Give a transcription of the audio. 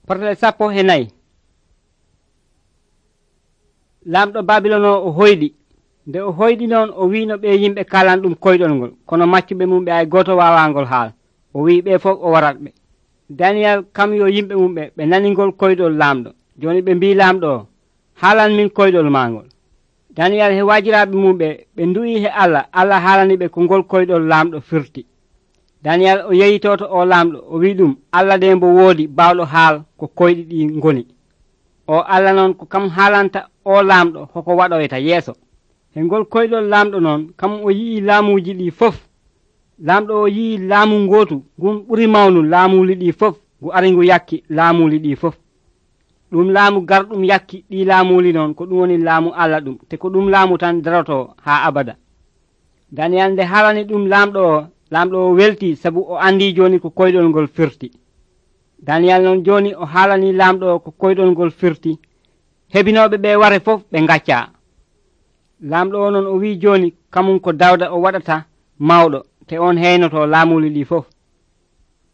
Portale 14 lamɗo Babilon o hoyɗi nde o hoyɗi noon o wino ɓe yimɓe kalan ɗum koyɗol ngol kono maccuɓe mum ɓe ay goto wawangol haal o wi ɓe fof o warat ɓe. Daniyal kam yo yimɓe mum ɓe naningol koyɗol lamɗo joni ɓe mbi lamɗo o haalan min koyɗol magol. Daniyal he wajiraɓe mum ɓe du'i he Allah haalani ɓe ko ngol koyɗol lamɗo firti. Daniyal o yeyitoto o lamɗo o wi ɗum Allah de mbo woodi bawɗo haal ko koyɗi ɗi ngoni. O Allah noon ko kam haalanta o lamɗo hoko waɗoyta yeeso. He ngol koyɗol lamɗo noon kam o yii laamuji ɗi fof. Lamɗo o yii laamu gotu ngun ɓuri mawnu laamuli ɗi fof ngu ari ngu yakki laamuli ɗi fof. Ɗum laamu garɗum yakki ɗi laamuli noon ko ɗum woni laamu Allah ɗum te ko ɗum laamu tan daroto ha abada. Daniyal nde haalani ɗum lamɗo o welti sabu o andi joni ko koyɗol ngol firti. Daniyal noon joni o haalani lamɗo ko koyɗol ngol firti hebinoɓe ɓe ware fof ɓe gacca. Lamɗo o noon o wi joni kamum ko Dawda o waɗata mawɗo te on heynoto laamuli ɗi fof.